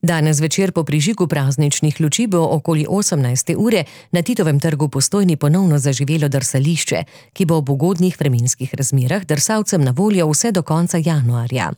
Danes večer po prižigu prazničnih luči bo okoli 18. ure na Titovem trgu Postojni ponovno zaživelo drsališče, ki bo ob ugodnih vremenskih razmerah drsalcem na voljo vse do konca januarja.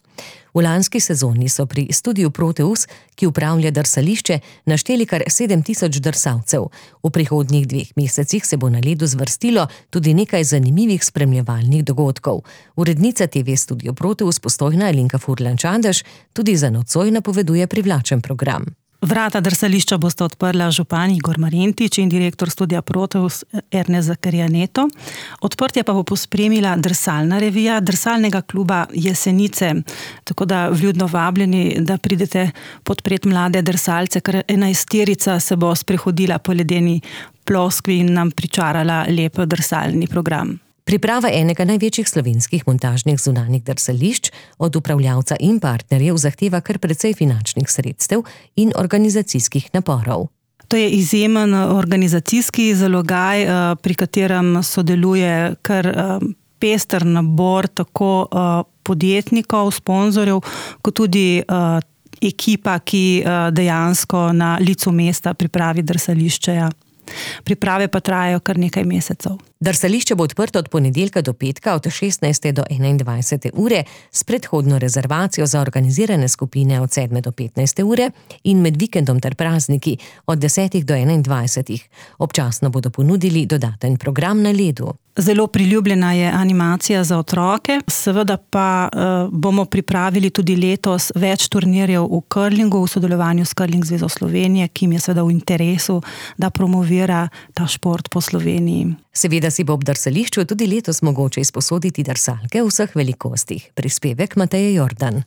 V lanski sezoni so pri studiu Proteus, ki upravlja drsališče, našteli kar 7000 drsalcev. V prihodnjih 2 mesecih se bo na ledu zvrstilo tudi nekaj zanimivih spremljevalnih dogodkov. Urednica TV Studio Proteus Postojna Alenka Furlan-Čadež tudi za nocoj napoveduje privlačen program. Vrata drsališča bosta odprla župan Igor Marjentič in direktor studia Proteus Ernest Zakarijaneto. Odprtje pa bo pospremila drsalna revija drsalnega kluba Jesenice, tako da vljudno vabljeni, da pridete podpret mlade drsalce, kar 11-terica se bo sprehodila po ledeni ploskvi in nam pričarala lep drsalni program. Priprava enega največjih slovenskih montažnih zunanjih drsališč od upravljavca in partnerjev zahteva kar precej finančnih sredstev in organizacijskih naporov. To je izjemen organizacijski zalogaj, pri katerem sodeluje kar pester nabor tako podjetnikov, sponzorjev, kot tudi ekipa, ki dejansko na licu mesta pripravi drsališče. Priprave pa trajajo kar nekaj mesecev. Drsališče bo odprto od ponedeljka do petka od 16. do 21. ure s predhodno rezervacijo za organizirane skupine od 7. do 15. ure in med vikendom ter prazniki od 10. do 21. Občasno bodo ponudili dodaten program na ledu. Zelo priljubljena je animacija za otroke, seveda pa bomo pripravili tudi letos več turnirjev v curlingu v sodelovanju s Curling zvezo Slovenije, ki jim je seveda v interesu, da promovira ta šport po Sloveniji. Seveda si bo ob drsališču tudi letos mogoče izposoditi drsalke v vseh velikostih. Prispevek Mateje Jordan.